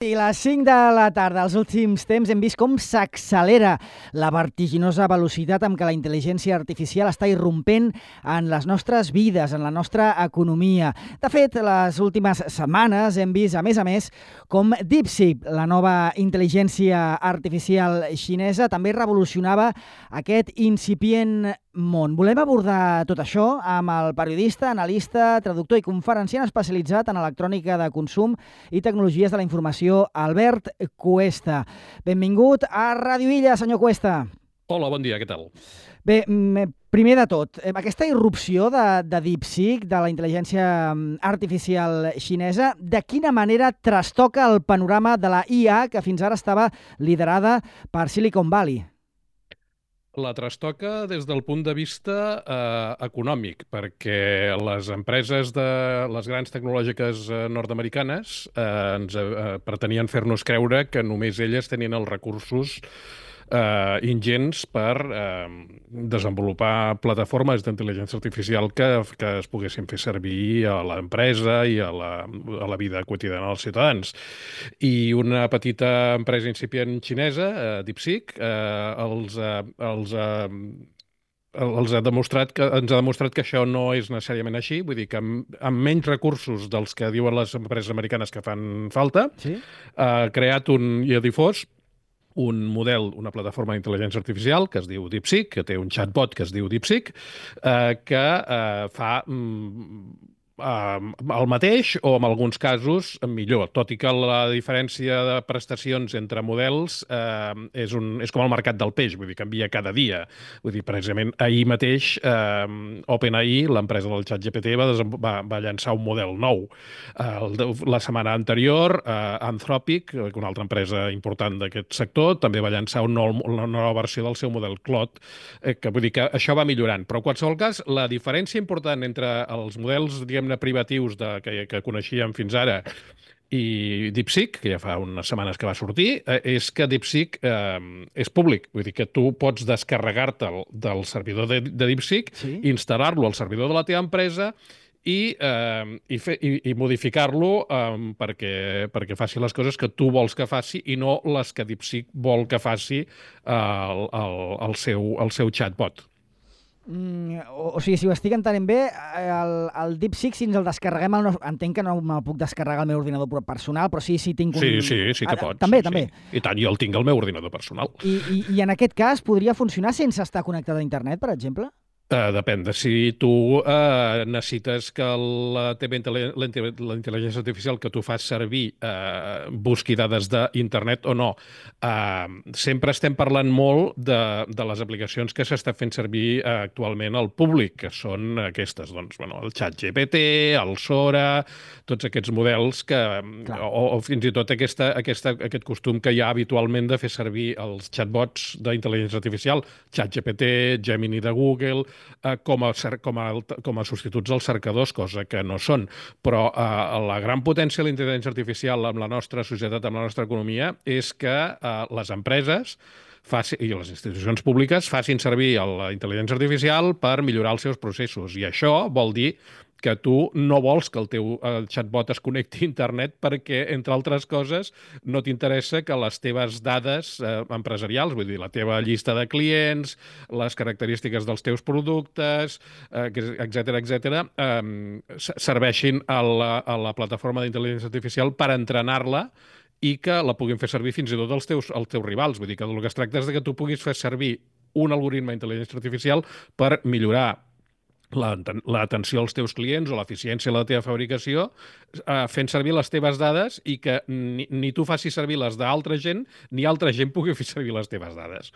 I les 5 de la tarda, als últims temps, hem vist com s'accelera la vertiginosa velocitat amb què la intel·ligència artificial està irrompent en les nostres vides, en la nostra economia. De fet, les últimes setmanes hem vist, a més, com DeepSeek, la nova intel·ligència artificial xinesa, també revolucionava aquest incipient món. Volem abordar tot això amb el periodista, analista, traductor i conferenciant especialitzat en electrònica de consum i tecnologies de la informació, Albert Cuesta. Benvingut a Ràdio Illa, senyor Cuesta. Hola, bon dia, què tal? Bé, primer de tot, aquesta irrupció de DeepSeek, de la intel·ligència artificial xinesa, de quina manera trastoca el panorama de la IA que fins ara estava liderada per Silicon Valley? La trastoca des del punt de vista econòmic, perquè les empreses de les grans tecnològiques nord-americanes pretenien fer-nos creure que només elles tenien els recursos ingents per desenvolupar plataformes d'intel·ligència artificial que es poguessin fer servir a l'empresa i a la vida quotidiana dels ciutadans. I una petita empresa incipient xinesa, DeepSeek, ens ha demostrat que això no és necessàriament així, vull dir que amb menys recursos dels que diuen les empreses americanes que fan falta, Sí? ha creat i ha difós un model, una plataforma d'intel·ligència artificial que es diu DeepSeek, que té un chatbot que es diu DeepSeek, que fa el mateix o en alguns casos millor, tot i que la diferència de prestacions entre models és com el mercat del peix, vull dir, canvia cada dia. Vull dir, precisament ahir mateix OpenAI, l'empresa del ChatGPT, va llançar un model nou. La setmana anterior, Anthropic, una altra empresa important d'aquest sector, també va llançar una nova versió del seu model Claude, que vull dir que això va millorant. Però en qualsevol cas, la diferència important entre els models, diguem-ne, privatius que coneixíem fins ara i DeepSeek, que ja fa unes setmanes que va sortir, és que DeepSeek és públic. Vull dir que tu pots descarregar-te'l del servidor de DeepSeek, Sí? instal·lar-lo al servidor de la teva empresa i modificar-lo perquè faci les coses que tu vols que faci i no les que DeepSeek vol que faci el seu chatbot. O sigui, si ho estic entenent bé, el DeepSeek, si ens el descarreguem, entenc que no me'l puc descarregar al meu ordinador personal, però sí tinc un... Sí que pots. També, sí. també. I tant, jo el tinc al meu ordinador personal. I en aquest cas podria funcionar sense estar connectat a internet, per exemple? Depèn de si tu necessites que la intel·ligència artificial que tu fas servir busqui dades d'internet o no. Sempre estem parlant molt de les aplicacions que s'està fent servir actualment al públic, que són aquestes, doncs, el ChatGPT, el Sora, tots aquests models o fins i tot aquest costum que hi ha habitualment de fer servir els chatbots d'intel·ligència artificial, ChatGPT, Gemini de Google, com a substituts als cercadors, cosa que no són. Però la gran potència de la intel·ligència artificial amb la nostra societat, amb la nostra economia, és que les empreses i les institucions públiques facin servir la intel·ligència artificial per millorar els seus processos. I això vol dir que tu no vols que el teu chatbot es connecti a internet perquè, entre altres coses, no t'interessa que les teves dades empresarials, vull dir, la teva llista de clients, les característiques dels teus productes, etc., serveixin a la plataforma d'intel·ligència artificial per entrenar-la i que la puguin fer servir fins i tot els teus rivals. Vull dir que el que es tracta és que tu puguis fer servir un algoritme d'intel·ligència artificial per millorar l'atenció als teus clients o l'eficiència de la teva fabricació fent servir les teves dades i que ni tu facis servir les d'altra gent ni altra gent pugui fer servir les teves dades.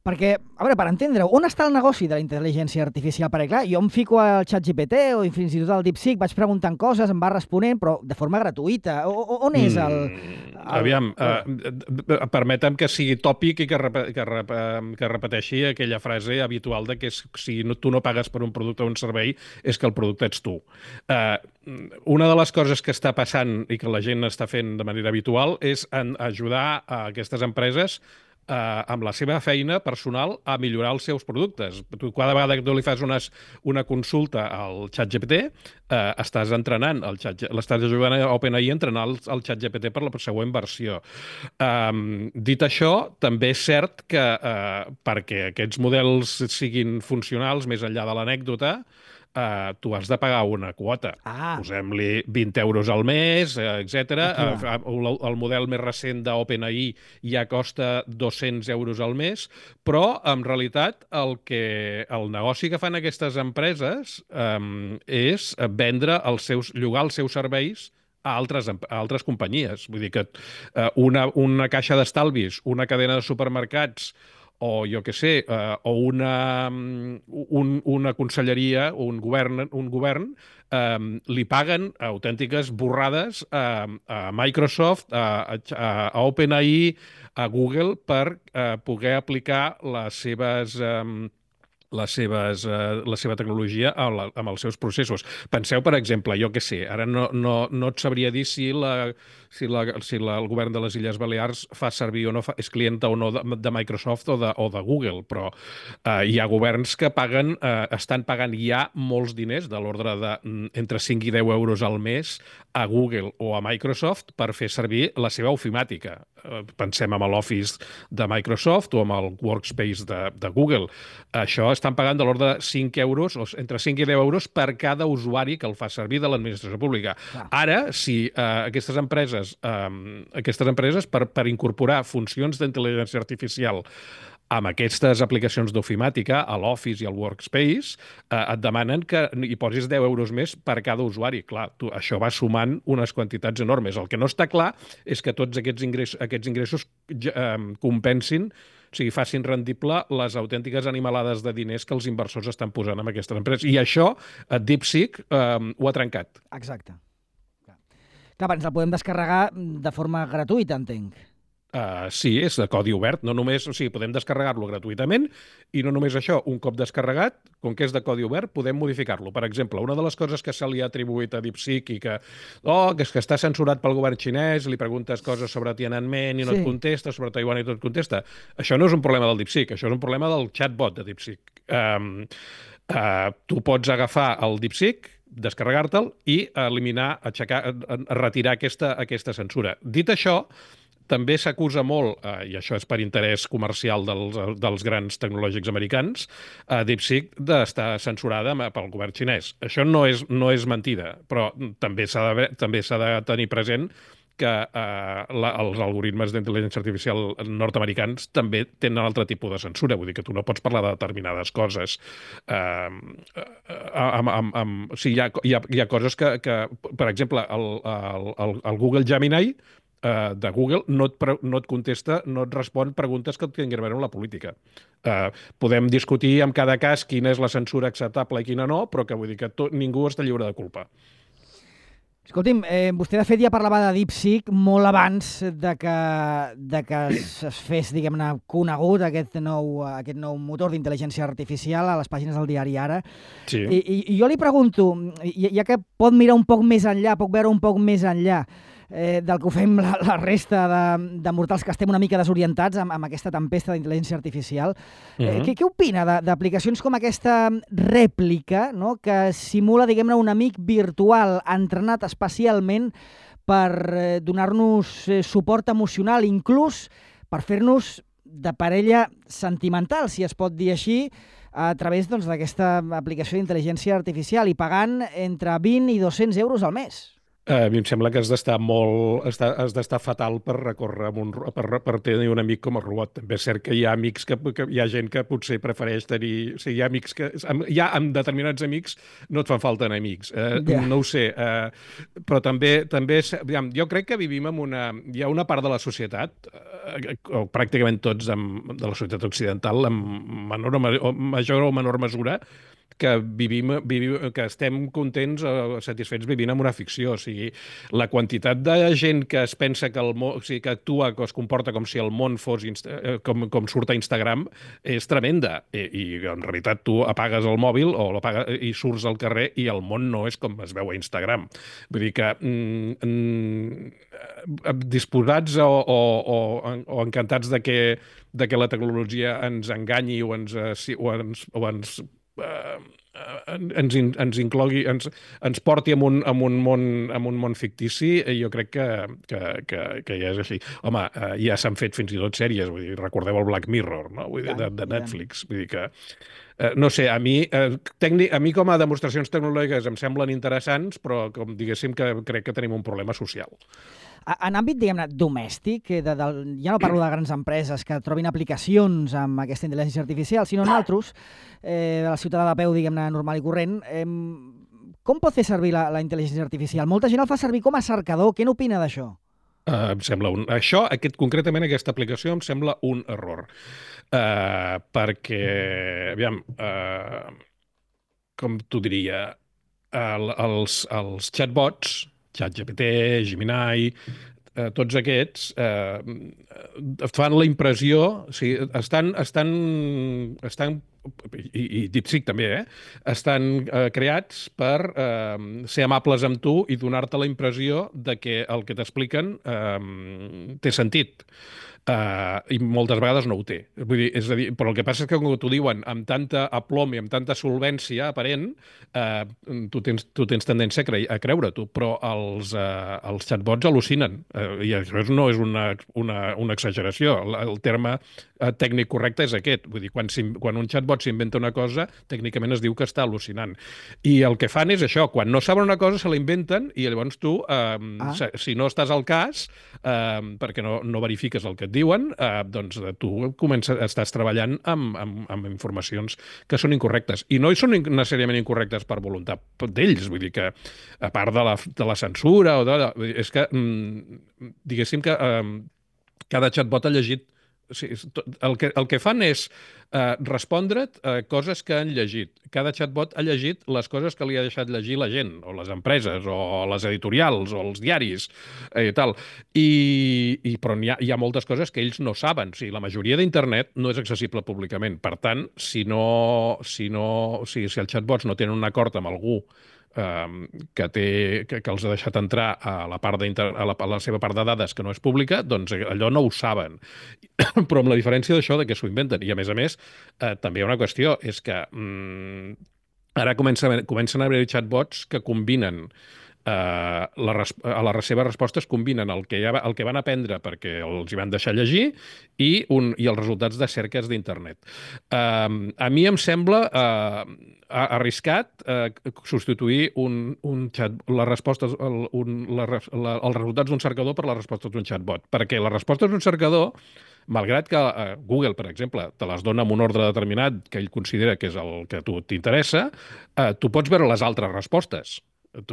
Perquè, a veure, per entendre-ho, on està el negoci de la intel·ligència artificial? Perquè, clar, jo em fico al ChatGPT o fins i tot al DeepSeek, vaig preguntant coses, em va responent, però de forma gratuïta. On és el... Aviam, permetem que sigui tòpic i que repeteixi aquella frase habitual de que si tu no pagues per un producte o un servei és que el producte ets tu. Una de les coses que està passant i que la gent està fent de manera habitual és ajudar a aquestes empreses amb la seva feina personal a millorar els seus productes. Tu, cada vegada que tu li fas una consulta al ChatGPT, estàs entrenant, l'estàs ajudant a OpenAI a entrenar el ChatGPT per la següent versió. Dit això, també és cert que perquè aquests models siguin funcionals més enllà de l'anècdota, tu has de pagar una quota. Posem-li 20 euros al mes, etc. El model més recent d'OpenAI ja costa 200 euros al mes, però en realitat el negoci que fan aquestes empreses és vendre llogar els seus serveis a altres companyies. Vull dir que una caixa d'estalvis, una cadena de supermercats, o jo què sé, o una conselleria, un govern li paguen autèntiques borrades a Microsoft, a OpenAI, a Google, per poder aplicar la seva tecnologia amb els seus processos. Penseu, per exemple, jo què sé, ara no et sabria dir si el govern de les Illes Balears fa servir o no, és clienta o no de Microsoft o de Google, però hi ha governs que estan pagant ja molts diners, de l'ordre entre 5 i 10 euros al mes, a Google o a Microsoft per fer servir la seva ofimàtica. Pensem en l'Office de Microsoft o amb el Workspace de Google. Això estan pagant de l'ordre de 5 euros, o entre 5 i 10 euros per cada usuari que el fa servir de l'administració pública. Ara, si aquestes empreses per incorporar funcions d'intel·ligència artificial amb aquestes aplicacions d'ofimàtica, a l'Office i al Workspace, et demanen que hi posis 10 euros més per cada usuari. Clar, això va sumant unes quantitats enormes. El que no està clar és que tots aquests ingressos compensin, o sigui, facin rendible les autèntiques animalades de diners que els inversors estan posant en aquestes empreses. I això, DeepSeek ho ha trencat. Exacte. Clar, ens el podem descarregar de forma gratuïta, entenc. Sí, és de codi obert. No només, o sigui, podem descarregar-lo gratuïtament i no només això, un cop descarregat, com que és de codi obert, podem modificar-lo. Per exemple, una de les coses que se li ha atribuït a DeepSeek i que és que està censurat pel govern xinès, li preguntes coses sobre Tiananmen i no et contesta, sobre Taiwan i no et contesta. Això no és un problema del DeepSeek, això és un problema del chatbot de DeepSeek. Tu pots agafar el DeepSeek, descarregar-te'l i eliminar, retirar aquesta censura. Dit això, també s'acusa molt, i això és per interès comercial dels grans tecnològics americans, DeepSeek d'estar censurada pel govern xinès. Això no és mentida, però també s'ha de tenir present que els algoritmes d'intel·ligència artificial nord-americans també tenen altre tipus de censura. Vull dir que tu no pots parlar de determinades coses. Sí, hi ha coses que per exemple, el Google Gemini de Google no et contesta, no et respon preguntes que tinguin a veure amb la política. Podem discutir en cada cas quina és la censura acceptable i quina no, però que vull dir que ningú està lliure de culpa. Escolti'm, vostè de fet ja parlava de DeepSeek molt abans de que es fes, diguem-ne, conegut aquest nou motor d'intel·ligència artificial a les pàgines del diari Ara. Sí. I jo li pregunto, ja que pot mirar un poc més enllà, pot veure un poc més enllà del que ho fem la resta de mortals que estem una mica desorientats amb aquesta tempesta d'intel·ligència artificial. Què opina d'aplicacions com aquesta rèplica, no?, que simula, diguem-ne, un amic virtual entrenat especialment per donar-nos suport emocional, inclús per fer-nos de parella sentimental, si es pot dir així, a través d'aquesta aplicació d'intel·ligència artificial i pagant entre 20 i 200 euros al mes? A mi em sembla que has d'estar fatal per recórrer per tenir un amic com el robot. També és cert que hi ha amics hi ha gent que potser prefereix tenir... O sigui, hi ha amics que... Ja amb determinats amics no et fan falta amics. No ho sé. Però també jo crec que vivim en hi ha una part de la societat, pràcticament tots de la societat occidental, en major o menor mesura, que que estem contents o satisfets vivint en una ficció. O sigui, la quantitat de gent que es pensa que que actua, que es comporta com si el món fos com surt a Instagram, és tremenda. I en realitat tu apagues el mòbil i surts al carrer i el món no és com es veu a Instagram. Vull dir que disposats o encantats de que de que la tecnologia ens enganyi o ens inclogui, ens porti en un món fictici, jo crec que ja és així. Home, ja s'han fet fins i tot sèries, vull dir, recordeu el Black Mirror, no? Vull dir, de Netflix. Vull dir que, no sé, a mi com a demostracions tecnològiques em semblen interessants, però com diguéssim que crec que tenim un problema social. En àmbit, diguem-ne, domèstic, ja no parlo de grans empreses que trobin aplicacions amb aquesta intel·ligència artificial, sinó nosaltres, el ciutadà de peu, diguem-ne, normal i corrent, com pot fer servir la intel·ligència artificial? Molta gent el fa servir com a cercador. Què n'opina d'això? Em sembla concretament aquesta aplicació em sembla un error. Perquè, aviam, com t'ho diria, els chatbots, ChatGPT, Gemini, tots aquests fan la impressió, o sigui, estan i DeepSeek també, estan creats per ser amables amb tu i donar-te la impressió de que el que t'expliquen té sentit. I moltes vegades no ho té. Vull dir, és a dir, però el que passa és que quan t'ho diuen amb tanta aplom i amb tanta solvència aparent, tu tens tendència a creure-t'ho, però els chatbots al·lucinen. I això no és una exageració. El terme tècnic correcte és aquest. Vull dir, quan un chatbot s'inventa una cosa, tècnicament es diu que està al·lucinant. I el que fan és això, quan no saben una cosa se la inventen i llavors tu, si no estàs al cas, perquè no verifiques el que et diuen, doncs tu estàs treballant amb informacions que són incorrectes. I no són necessàriament incorrectes per voluntat d'ells, vull dir que, a part de la censura, és que, diguéssim que cada chatbot ha llegit. El que fan és respondre't coses que han llegit. Cada chatbot ha llegit les coses que li ha deixat llegir la gent, o les empreses, o les editorials, o els diaris, i tal. Però hi ha moltes coses que ells no saben. O sigui, la majoria d'internet no és accessible públicament. Per tant, si els chatbots no tenen un acord amb algú que els ha deixat entrar a la seva part de dades que no és pública, doncs allò no ho saben. Però amb la diferència d'això de que s'ho inventen. I a més, també hi ha una qüestió, és que ara comencen a haver chatbots que combinen a les seves respostes combinen el que van aprendre perquè els hi van deixar llegir i els resultats de cerques d'internet. A mi em sembla arriscat substituir les respostes, els resultats d'un cercador per les respostes d'un chatbot, perquè les respostes d'un cercador, malgrat que Google, per exemple, te les dona amb un ordre determinat que ell considera que és el que a tu t'interessa, tu pots veure les altres respostes. En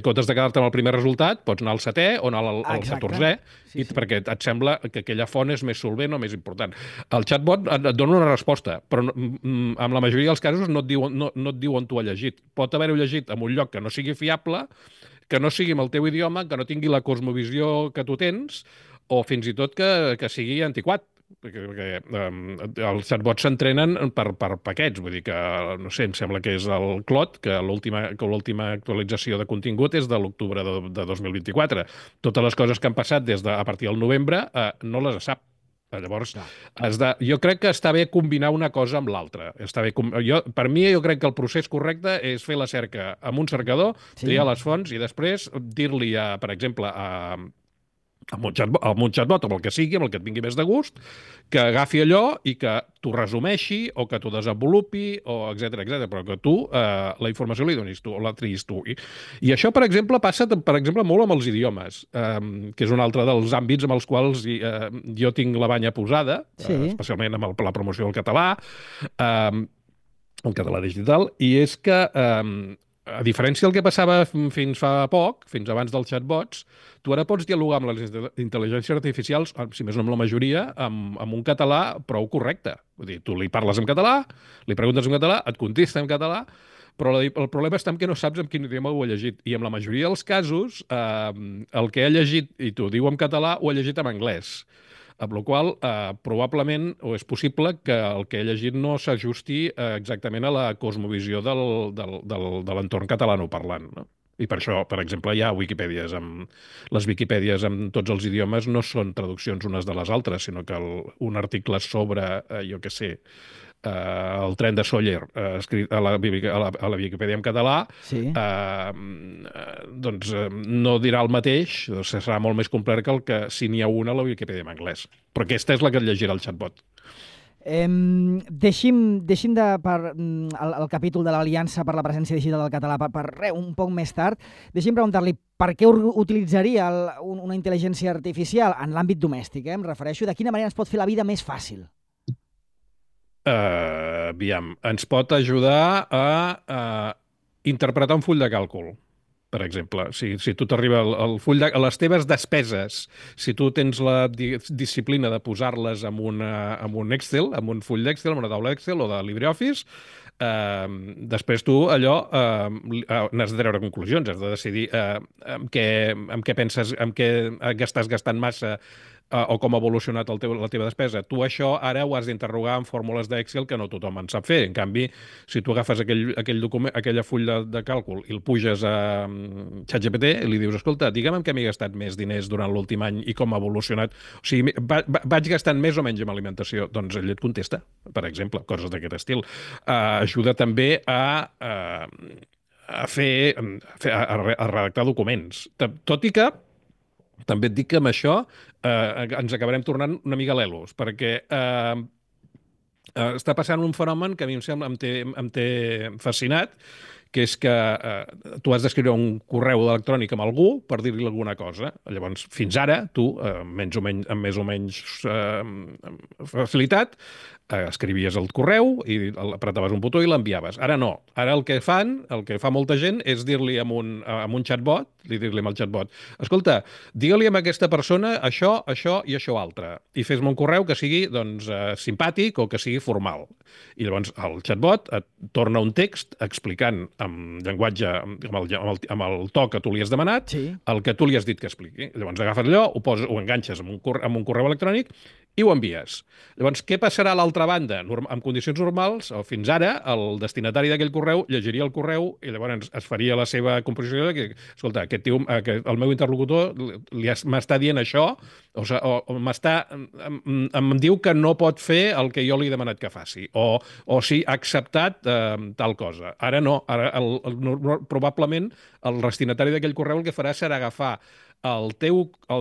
comptes de quedar-te amb el primer resultat, pots anar al 7è o anar al 14è, perquè et sembla que aquella font és més solvent o més important. El chatbot et dona una resposta, però en la majoria dels casos no et diu on tu has llegit. Pot haver-ho llegit en un lloc que no sigui fiable, que no sigui amb el teu idioma, que no tingui la cosmovisió que tu tens, o fins i tot que sigui antiquat, perquè els chatbots s'entrenen per paquets, vull dir que, no sé, em sembla que és el Claude, que l'última actualització de contingut és de l'octubre de 2024. Totes les coses que han passat a partir del novembre no les sap. Llavors, jo crec que està bé combinar una cosa amb l'altra. Per mi, jo crec que el procés correcte és fer la cerca amb un cercador, triar les fonts i després dir-li, per exemple, amb un chatbot, amb el que sigui, amb el que et vingui més de gust, que agafi allò i que t'ho resumeixi o que t'ho desenvolupi, o etcètera, però que tu la informació li donis tu o la triïs tu. I això, per exemple, passa molt amb els idiomes, que és un altre dels àmbits amb els quals jo tinc la banya posada, especialment amb la promoció del català, el català digital, i és que a diferència del que passava fins fa poc, fins abans dels chatbots, tu ara pots dialogar amb les intel·ligències artificials, si més no amb la majoria, amb un català prou correcte. Vull dir, tu li parles en català, li preguntes en català, et contesta en català, però el problema està en que no saps en quin idioma ho ha llegit. I en la majoria dels casos, el que ha llegit, i t'ho diu en català, ho ha llegit en anglès. Amb la qual probablement, o és possible, que el que he llegit no s'ajusti exactament a la cosmovisió de l'entorn catalanoparlant, no? I per això, per exemple, hi ha Wikipèdies les Wikipèdies en tots els idiomes no són traduccions unes de les altres, sinó que un article sobre, jo què sé, el tren de Sóller, escrit a la Viquipèdia en català, Sí. doncs no dirà el mateix, serà molt més complet que el que si n'hi ha una a la Viquipèdia en anglès. Però aquesta és la que et llegirà el xatbot. Deixim el capítol de l'Aliança per la presència digital del català un poc més tard. Deixi'm preguntar-li per què utilitzaria una intel·ligència artificial en l'àmbit domèstic. Em refereixo, de quina manera ens pot fer la vida més fàcil? Aviam, ens pot ajudar a interpretar un full de càlcul, per exemple. Si tu t'arriba el full de... les teves despeses, si tu tens la disciplina de posar-les en un Excel, en un full d'Excel, en una taula d'Excel o de LibreOffice, després tu allò n'has de treure conclusions, has de decidir amb què penses, amb què estàs gastant massa, o com ha evolucionat la teva despesa. Tu això ara ho has d'interrogar en fórmules d'Excel que no tothom en sap fer. En canvi, si tu agafes aquell document, aquella full de càlcul i el puges a ChatGPT i li dius, escolta, digue'm en què m'he gastat més diners durant l'últim any i com ha evolucionat. O sigui, vaig gastant més o menys en alimentació? Doncs ell et contesta, per exemple, coses d'aquest estil. Ajuda també a redactar documents. Tot i que també et dic que amb això ens acabarem tornant una mica lelos, perquè està passant un fenomen que a mi em té fascinat, que és que tu has d'escriure un correu electrònic amb algú per dir-li alguna cosa. Llavors, fins ara, tu, amb més o menys facilitat, escrivies el correu i apretaves un botó i l'enviaves. Ara no. Ara el que fa molta gent és dir-li amb un chatbot, dir-li amb el chatbot, escolta, digue-li a aquesta persona això, això i això altre, i fes-me un correu que sigui doncs, simpàtic o que sigui formal. I llavors el chatbot et torna un text explicant amb llenguatge, amb el to que tu li has demanat, sí, el que tu li has dit que expliqui. Llavors agafes allò, ho enganxes amb un correu electrònic i ho envies. Llavors, què passarà a l'altra banda? En condicions normals, o fins ara, el destinatari d'aquell correu llegiria el correu i llavors es faria la seva composició de que, escolta, aquest tio, el meu interlocutor m'està dient això, o em diu que no pot fer el que jo li he demanat que faci, o sí, ha acceptat tal cosa. Ara no, ara probablement el destinatari d'aquell correu el que farà serà agafar el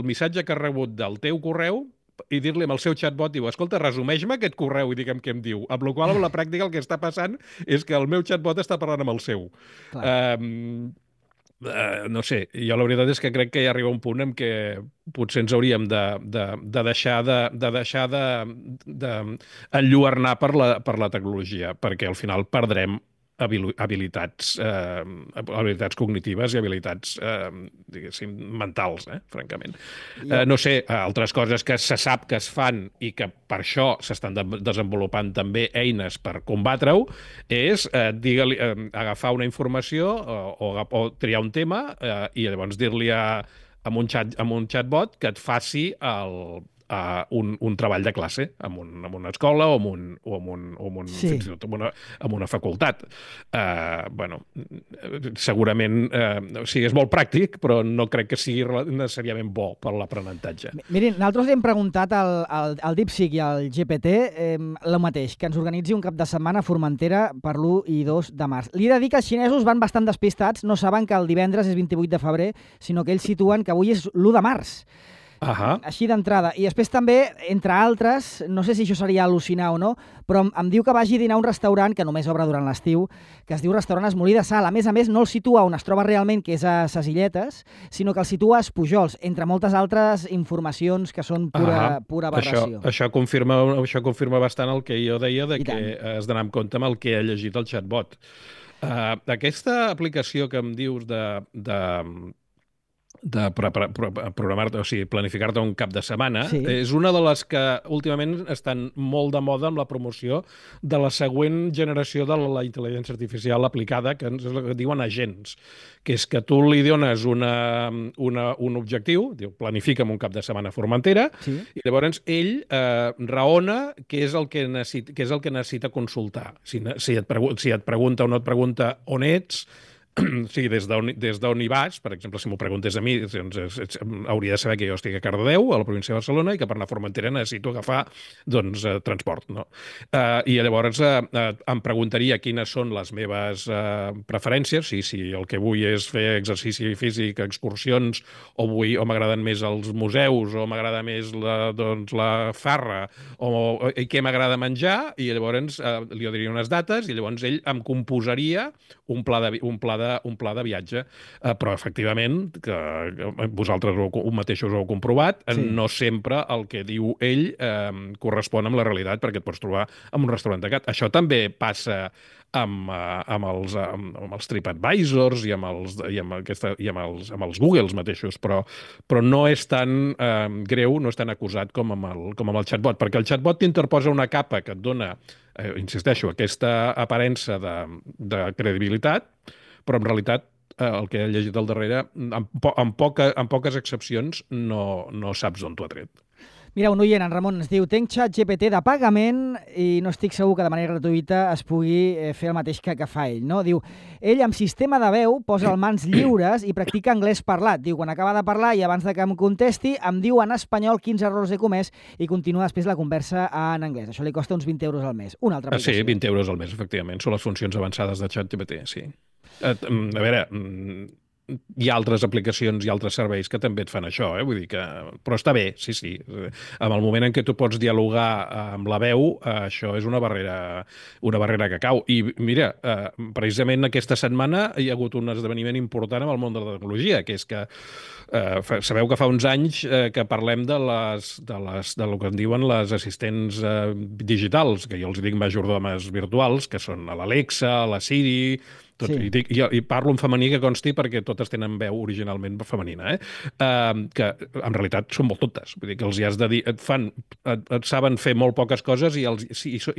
missatge que ha rebut del teu correu i dir-li amb el seu chatbot, diu, escolta, resumeix-me aquest correu i digue'm què em diu. Amb la qual cosa, a la pràctica, el que està passant és que el meu chatbot està parlant amb el seu. No sé, jo la veritat és que crec que hi arriba un punt en què potser ens hauríem de deixar d'enlluernar per la tecnologia, perquè al final perdrem habilitats cognitives i habilitats, diguéssim, mentals, francament. No sé, altres coses que se sap que es fan i que per això s'estan desenvolupant també eines per combatre-ho, és agafar una informació o triar un tema i llavors dir-li amb un chatbot que et faci un treball de classe en una escola o sí, fins i tot en una facultat. Segurament és molt pràctic, però no crec que sigui necessàriament bo per l'aprenentatge. Mirin, nosaltres li hem preguntat al DeepSeek i al GPT el mateix, que ens organitzi un cap de setmana a Formentera per l'1 i 2 de març. Li he de dir que els xinesos van bastant despistats, no saben que el divendres és 28 de febrer, sinó que ells situen que avui és l'1 de març. Així d'entrada. I després també, entre altres, no sé si això seria al·lucinar o no, però em diu que vagi a dinar a un restaurant que només obre durant l'estiu, que es diu Restaurant Esmolí de Sal. A més, no el situa on es troba realment, que és a Ses Illetes, sinó que el situa a Espujols, entre moltes altres informacions que són pura aberració. Això confirma bastant el que jo deia de que has d'anar amb compte amb el que ha llegit el chatbot. Aquesta aplicació que em dius de programar-te, o sigui, planificar-te un cap de setmana, sí, és una de les que últimament estan molt de moda amb la promoció de la següent generació de la intel·ligència artificial aplicada, que és el que diuen agents, que és que tu li dones un objectiu, diu, planifica'm un cap de setmana a Formentera, sí, i llavors ell raona què és el que necessita consultar. Si et pregunta o no et pregunta on ets, sí, des d'on hi vas, per exemple, si m'ho preguntés a mi, doncs, hauria de saber que jo estic a Cardedeu, a la província de Barcelona, i que per anar a Formentera necessito agafar doncs, transport. No? I llavors em preguntaria quines són les meves preferències, si el que vull és fer exercici físic, excursions, o m'agraden més els museus, o m'agrada més la farra, i què m'agrada menjar, i llavors li diria unes dates, i llavors ell em composaria un pla de viatge. Però, efectivament, que vosaltres mateixos ho heu comprovat, Sí. no sempre el que diu ell correspon amb la realitat, perquè et pots trobar en un restaurant tancat. Això també passa amb els TripAdvisors i amb els Googles mateixos, però no és tan greu, no és tan acusat com amb el chatbot, perquè el chatbot t'interposa una capa que et dona, insisteixo, aquesta aparença de credibilitat, però en realitat el que he llegit al darrere, amb poques excepcions, no saps d'on t'ho ha tret. Mira, un oient, en Ramon, ens diu: tenc ChatGPT de pagament i no estic segur que de manera gratuïta es pugui fer el mateix que fa ell. No? Diu, ell amb sistema de veu posa el mans lliures i practica anglès parlat. Diu, quan acaba de parlar i abans de que em contesti, em diu en espanyol quins errors he comès i continua després la conversa en anglès. Això li costa uns 20 euros al mes. Una altra aplicació. Sí, 20 euros al mes, efectivament. Són les funcions avançades de ChatGPT, sí. A veure, hi ha altres aplicacions i altres serveis que també et fan això, vull dir que... Però està bé, sí. En el moment en què tu pots dialogar amb la veu, això és una barrera que cau. I mira, precisament aquesta setmana hi ha hagut un esdeveniment important en el món de la tecnologia, que és que sabeu que fa uns anys que parlem del que en diuen les assistents digitals, que jo els dic majordomes virtuals, que són l'Alexa, la Siri... Sí. I parlo en femení, que consti, perquè totes tenen veu originalment femenina, que en realitat són molt tontes. Vull dir que els hi has de dir... Et saben fer molt poques coses i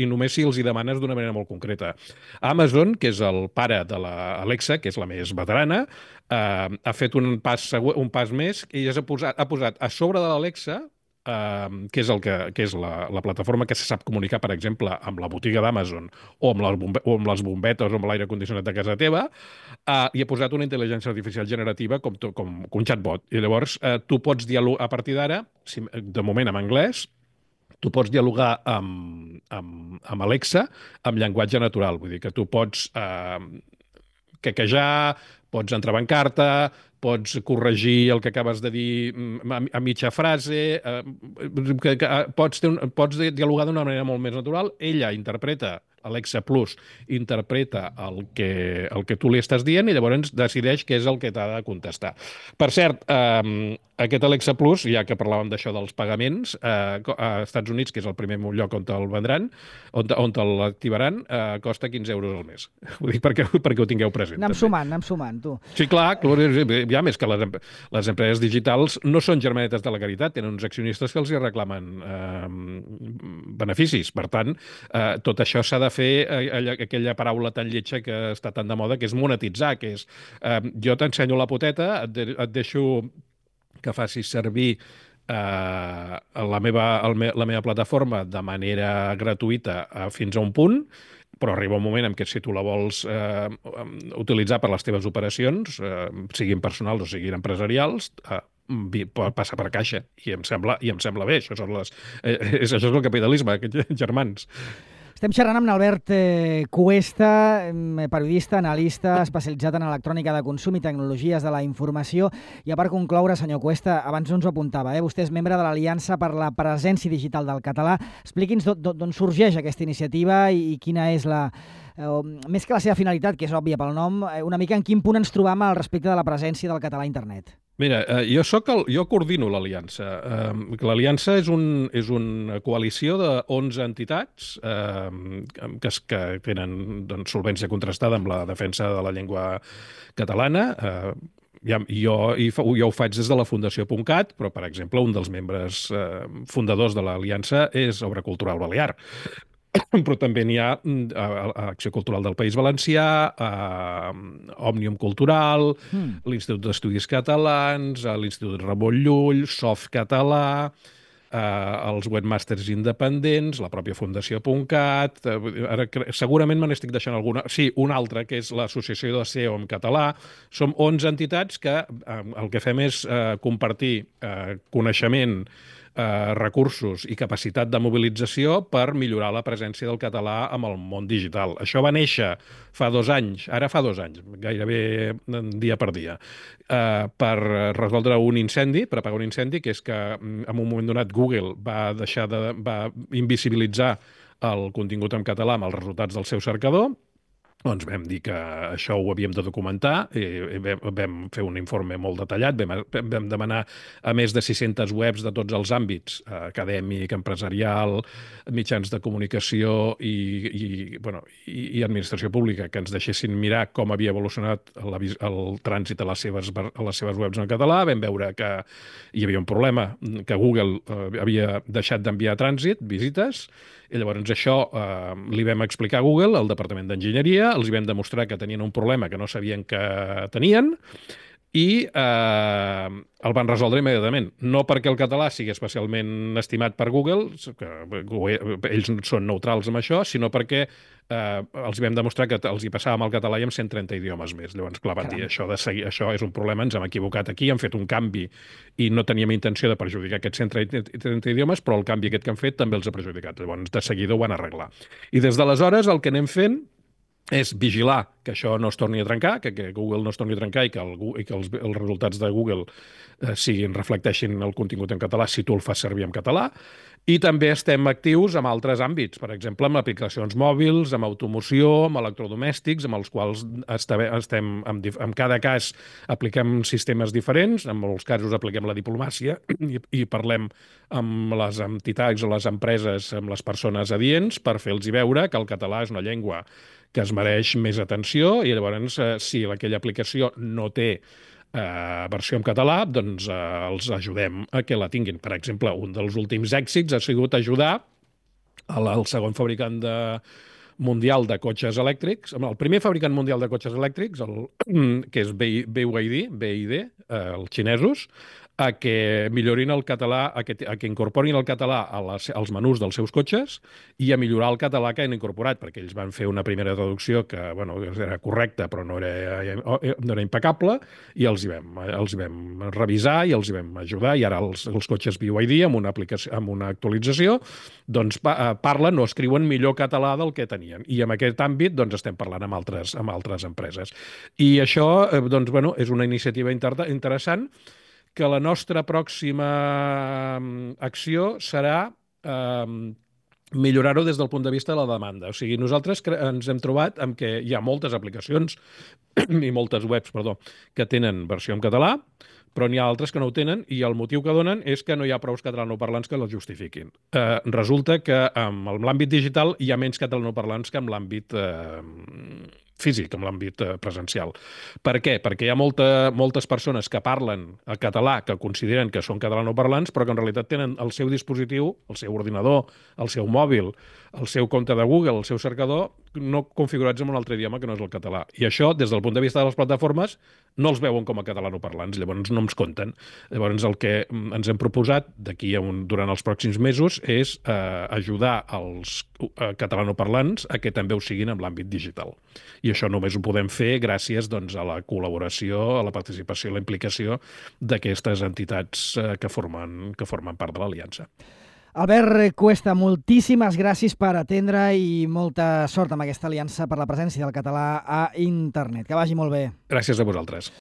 només si els hi demanes d'una manera molt concreta. Amazon, que és el pare de l'Alexa, que és la més veterana, ha fet un pas més i ha posat a sobre de l'Alexa, que és la plataforma que se sap comunicar, per exemple, amb la botiga d'Amazon o amb les bombetes o amb l'aire condicionat de casa teva, i ha posat una intel·ligència artificial generativa com un chatbot. I llavors tu pots dialogar, a partir d'ara, de moment en anglès, tu pots dialogar amb Alexa amb llenguatge natural. Vull dir que tu pots quequejar, pots entrebancar-te, pots corregir el que acabes de dir a mitja frase, pots dialogar d'una manera molt més natural. Ella interpreta, Alexa Plus interpreta el que tu li estàs dient i llavors decideix què és el que t'ha de contestar. Per cert, aquest Alexa Plus, ja que parlàvem d'això dels pagaments, a Estats Units, que és el primer lloc on te'l vendran, on l'activaran, costa 15 euros al mes. Ho dic perquè ho tingueu present. Anem sumant, tu. Sí, clar, ja més que les empreses digitals no són germanetes de la caritat, tenen uns accionistes que els hi reclamen beneficis. Per tant, tot això s'ha de fer aquella paraula tan lletja que està tan de moda, que és monetitzar, que és jo t'ensenyo la poteta, et deixo que facis servir la meva plataforma de manera gratuïta fins a un punt, però arriba un moment en què si tu la vols utilitzar per les teves operacions, siguin personals o siguin empresarials, passa per caixa. I em sembla bé. Això és el capitalisme, aquests germans. Estem xerrant amb Albert Cuesta, periodista, analista, especialitzat en electrònica de consum i tecnologies de la informació. I a part concloure, senyor Cuesta, abans no ens ho apuntava, vostè és membre de l'Aliança per la Presència Digital del Català. Expliqui'ns d'on sorgeix aquesta iniciativa i quina és més que la seva finalitat, que és òbvia pel nom, una mica en quin punt ens trobam al respecte de la presència del català a internet. Mira, jo coordino l'Aliança. L'Aliança és una coalició de 11 entitats que tenen solvència contrastada amb la defensa de la llengua catalana. Jo ho faig des de la Fundació .cat, però, per exemple, un dels membres fundadors de l'Aliança és Obra Cultural Balear. Però també n'hi ha Acció Cultural del País Valencià, Òmnium Cultural, l'Institut d'Estudis Catalans, l'Institut Ramon Llull, Softcatalà, els webmasters independents, la pròpia Fundació.cat, ara segurament me n'estic deixant alguna. Sí, una altra, que és l'Associació de SEO en català. Som 11 entitats que el que fem és compartir coneixement, recursos i capacitat de mobilització per millorar la presència del català amb el món digital. Això va néixer fa 2 anys, ara fa 2 anys, gairebé dia per dia, per resoldre un incendi, per apagar un incendi, que és que en un moment donat Google va invisibilitzar el contingut en català amb els resultats del seu cercador. Doncs vam dir que això ho havíem de documentar, i vam fer un informe molt detallat, vam demanar a més de 600 webs de tots els àmbits, acadèmic, empresarial, mitjans de comunicació i administració pública, que ens deixessin mirar com havia evolucionat el trànsit a les seves webs en català. Vam veure que hi havia un problema, que Google havia deixat d'enviar trànsit, visites, i llavors això li vam explicar a Google, al Departament d'Enginyeria, els vam demostrar que tenien un problema que no sabien que tenien i el van resoldre immediatament. No perquè el català sigui especialment estimat per Google, que ells són neutrals amb això, sinó perquè els vam demostrar que els hi passàvem el català i amb 130 idiomes més. Llavors, clar, van dir, això és un problema, ens hem equivocat aquí, hem fet un canvi i no teníem intenció de perjudicar aquests 130 idiomes, però el canvi aquest que han fet també els ha perjudicat. Llavors, de seguida ho van arreglar. I des d'aleshores el que anem fent és vigilar que això no es torni a trencar, que Google no es torni a trencar i que els resultats de Google reflecteixin el contingut en català si tu el fas servir en català. I també estem actius en altres àmbits, per exemple, amb aplicacions mòbils, amb automoció, amb electrodomèstics, amb els quals en cada cas apliquem sistemes diferents, en molts casos apliquem la diplomàcia i parlem amb les entitats o les empreses, amb les persones adients, per fer-los veure que el català és una llengua que es mereix més atenció i llavors si aquella aplicació no té versió en català, doncs els ajudem a que la tinguin. Per exemple, un dels últims èxits ha sigut ajudar el segon fabricant mundial de cotxes elèctrics, el primer fabricant mundial de cotxes elèctrics, que és BYD, els xinesos, a que millorin el català, a que incorporin el català als menús dels seus cotxes i a millorar el català que han incorporat, perquè ells van fer una primera traducció que era correcta però no era impecable, i els hi vam revisar i els hi vam ajudar, i ara els cotxes BYD amb una actualització doncs parlen o escriuen millor català del que tenien, i en aquest àmbit doncs estem parlant amb altres empreses. I això és una iniciativa interessant, que la nostra pròxima acció serà millorar-ho des del punt de vista de la demanda. O sigui, nosaltres ens hem trobat amb que hi ha moltes aplicacions i moltes webs, que tenen versió en català, però n'hi ha altres que no ho tenen, i el motiu que donen és que no hi ha prous catalanoparlants que les justifiquin. Resulta que en l'àmbit digital hi ha menys catalanoparlants que en l'àmbit físic, en l'àmbit presencial. Per què? Perquè hi ha moltes persones que parlen el català, que consideren que són catalanoparlants, però que en realitat tenen el seu dispositiu, el seu ordinador, el seu mòbil, el seu compte de Google, el seu cercador, no configurats en un altre idioma que no és el català. I això, des del punt de vista de les plataformes, no els veuen com a catalanoparlants, llavors no ens compten. Llavors el que ens hem proposat durant els pròxims mesos és ajudar els catalanoparlants a que també ho siguin en l'àmbit digital. I això només ho podem fer gràcies a la col·laboració, a la participació i la implicació d'aquestes entitats que formen part de l'Aliança. Albert Cuesta, moltíssimes gràcies per atendre i molta sort amb aquesta aliança per la presència del català a internet. Que vagi molt bé. Gràcies a vosaltres.